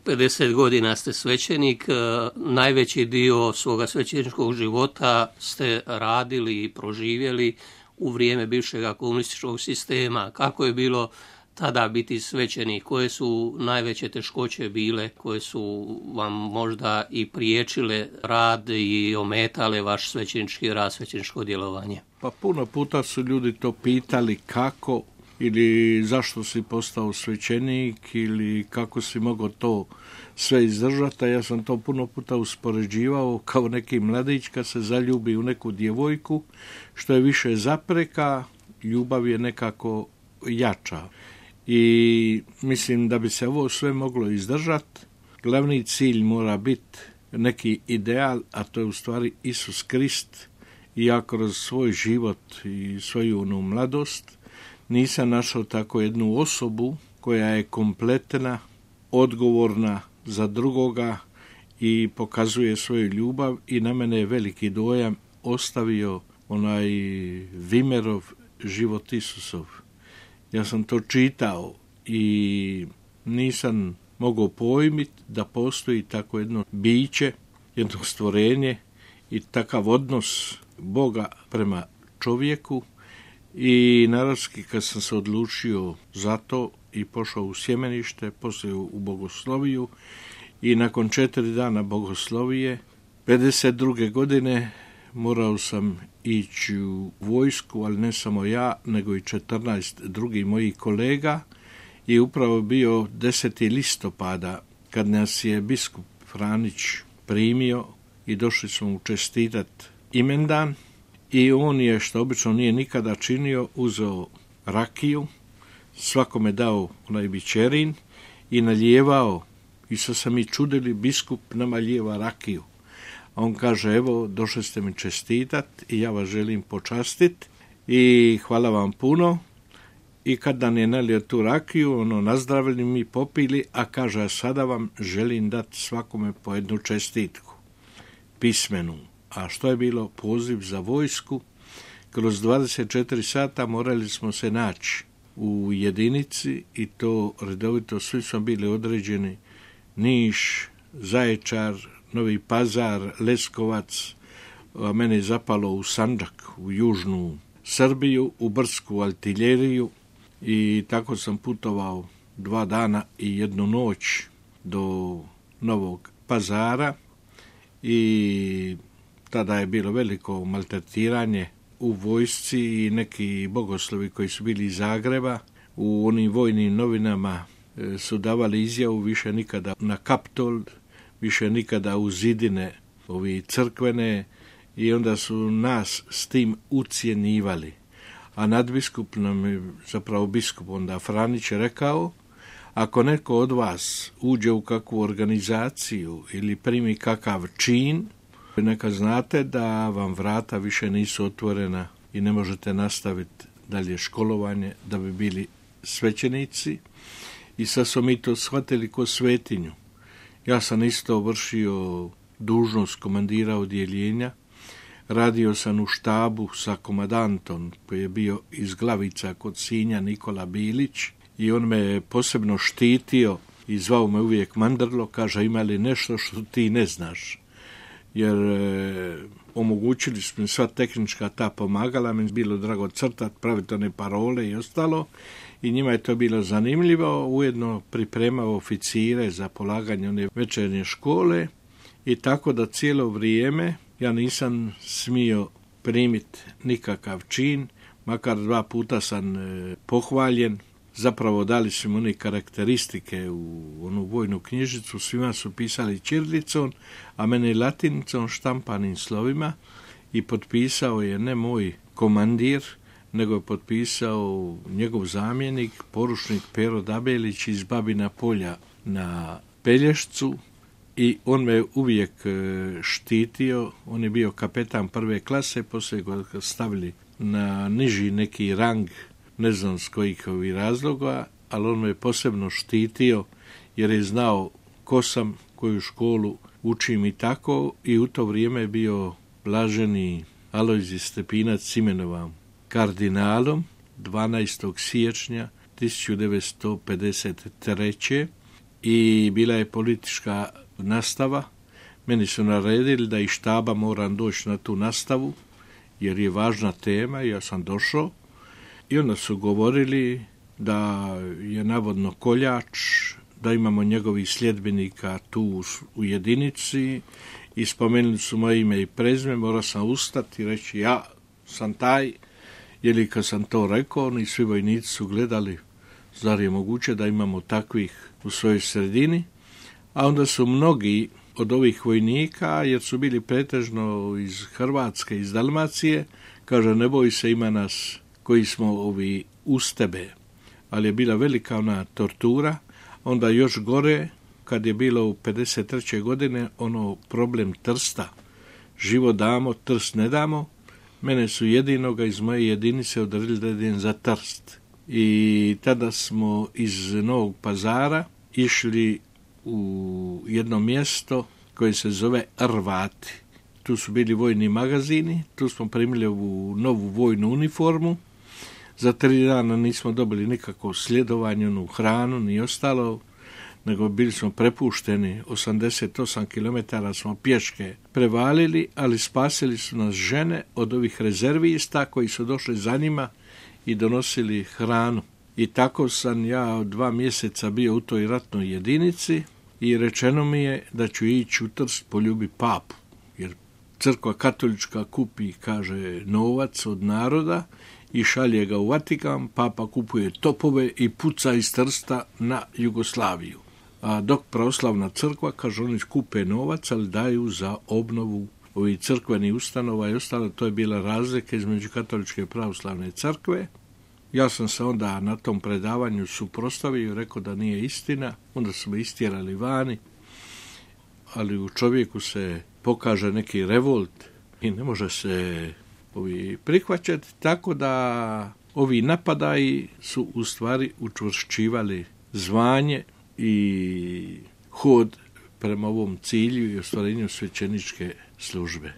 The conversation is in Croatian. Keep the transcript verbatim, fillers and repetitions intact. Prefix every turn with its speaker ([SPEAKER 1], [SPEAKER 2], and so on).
[SPEAKER 1] pedeset godina ste svećenik, najveći dio svoga svećeničkog života ste radili i proživjeli u vrijeme bivšeg komunističkog sistema. Kako je bilo tada biti svećenik? Koje su najveće teškoće bile, koje su vam možda i priječile rad i ometale vaš svećenički rad, svećeničko djelovanje?
[SPEAKER 2] Pa puno puta su ljudi to pitali kako ili zašto si postao svećenik ili kako si mogao to sve izdržati, a ja sam to puno puta uspoređivao kao neki mladić kad se zaljubi u neku djevojku, što je više zapreka, ljubav je nekako jača. I mislim da bi se ovo sve moglo izdržati, glavni cilj mora biti neki ideal, a to je u stvari Isus Krist. I ja kroz svoj život i svoju onu mladost nisam našao tako jednu osobu koja je kompletna, odgovorna za drugoga i pokazuje svoju ljubav, i na mene je veliki dojam ostavio onaj Vimerov život Isusov. Ja sam to čitao i nisam mogao pojmiti da postoji tako jedno biće, jedno stvorenje i takav odnos Boga prema čovjeku. I naravski kad sam se odlučio za to i pošao u sjemenište, poslije u bogosloviju, i nakon četiri dana bogoslovije pedeset druge godine morao sam ići u vojsku, ali ne samo ja, nego i četrnaest drugih mojih kolega, i upravo bio deseti listopada kad nas je biskup Franić primio i došli smo mu čestitat imendan. I on je, što obično nije nikada činio, uzeo rakiju, svakome dao onaj bičerin i nalijevao. I sad sam mi čudili, biskup nama lijeva rakiju. A on kaže, evo, došli ste mi čestitat i ja vas želim počastit i hvala vam puno. I kad nam je nalio tu rakiju, ono, nazdravili mi, popili, a kaže, a sada vam želim dati svakome po jednu čestitku, pismenu. A što je bilo? Poziv za vojsku. Kroz dvadeset četiri sata morali smo se naći u jedinici i to redovito, svi smo bili određeni: Niš, Zaječar, Novi Pazar, Leskovac, a mene je zapalo u Sandžak, u južnu Srbiju, u Brdsku artiljeriju, i tako sam putovao dva dana i jednu noć do Novog Pazara. I tada je bilo veliko maltretiranje u vojsci i neki bogoslovi koji su bili iz Zagreba u onim vojnim novinama su davali izjavu: više nikada na Kaptol, više nikada u zidine ovi crkvene, i onda su nas s tim ucjenjivali. A nadbiskup nam je, zapravo biskup onda Franić, rekao: ako neko od vas uđe u kakvu organizaciju ili primi kakav čin, neka znate da vam vrata više nisu otvorena i ne možete nastaviti dalje školovanje da bi bili svećenici. I sad smo mi to shvatili ko svetinju. Ja sam isto vršio dužnost komandira odjeljenja. Radio sam u štabu sa komandantom koji je bio iz Glavica kod Sinja, Nikola Bilić, i on me posebno štitio i zvao me uvijek Mandrlo. Kaže: ima li nešto što ti ne znaš? Jer e, omogućili smo sva tehnička ta pomagala, mi je bilo drago crtati, praviti one parole i ostalo, i njima je to bilo zanimljivo. Ujedno pripremao oficire za polaganje one večernje škole, i tako da cijelo vrijeme ja nisam smio primiti nikakav čin, makar dva puta sam e, pohvaljen. Zapravo dali su mi one karakteristike u onu vojnu knjižicu, svima su pisali ćirilicom, a mene latinicom, štampanim slovima, i potpisao je ne moj komandir, nego je potpisao njegov zamjenik, poručnik Pero Dabelić iz Babina Polja na Pelješcu, i on me uvijek štitio. On je bio kapetan prve klase, poslije ga stavili na niži neki rang, ne znam s kojih ovih razloga, ali on me posebno štitio jer je znao ko sam, koju školu učim i tako. I u to vrijeme je bio blaženi Alojzij Stepinac imenovan kardinalom dvanaestog siječnja tisuću devetsto pedeset treće i bila je politička nastava. Meni su naredili da iz štaba moram doći na tu nastavu, jer je važna tema i ja sam došao. I onda su govorili da je navodno koljač, da imamo njegovih sljedbenika tu u jedinici i spomenuli su moje ime i prezime, morao sam ustati i reći ja sam taj, jer kad sam to rekao, oni svi vojnici su gledali, zar je moguće da imamo takvih u svojoj sredini, a onda su mnogi od ovih vojnika, jer su bili pretežno iz Hrvatske, iz Dalmacije, kaže ne boj se, ima nas koji smo ovi uz tebe, ali je bila velika ona tortura. Onda još gore, kad je bilo u pedeset treće godine, ono problem Trsta, život damo, Trst ne damo, mene su jedinoga iz moje jedinice odredili da idem za Trst. I tada smo iz Novog Pazara išli u jedno mjesto koje se zove Rvati. Tu su bili vojni magazini, tu smo primili ovu novu vojnu uniformu. Za tri dana nismo dobili nikakvo sljedovanje, onu hranu, ni ostalo, nego bili smo prepušteni, osamdeset osam kilometara smo pješke prevalili, ali spasili su nas žene od ovih rezervista koji su došli za njima i donosili hranu. I tako sam ja dva mjeseca bio u toj ratnoj jedinici i rečeno mi je da ću ići u Trst poljubi papu, jer crkva katolička kupi, kaže, novac od naroda i šalje ga u Vatikan, papa kupuje topove i puca iz Trsta na Jugoslaviju. A dok pravoslavna crkva, kaže, oni kupe novac, ali daju za obnovu ovih crkvenih ustanova i ostalo. To je bila razlika između katoličke i pravoslavne crkve. Ja sam se onda na tom predavanju suprotstavio i rekao da nije istina. Onda su me istjerali vani, ali u čovjeku se pokaže neki revolt i ne može se ovi prihvaćati, tako da ovi napadaji su u stvari učvršćivali zvanje i hod prema ovom cilju i ostvarenju svećeničke službe.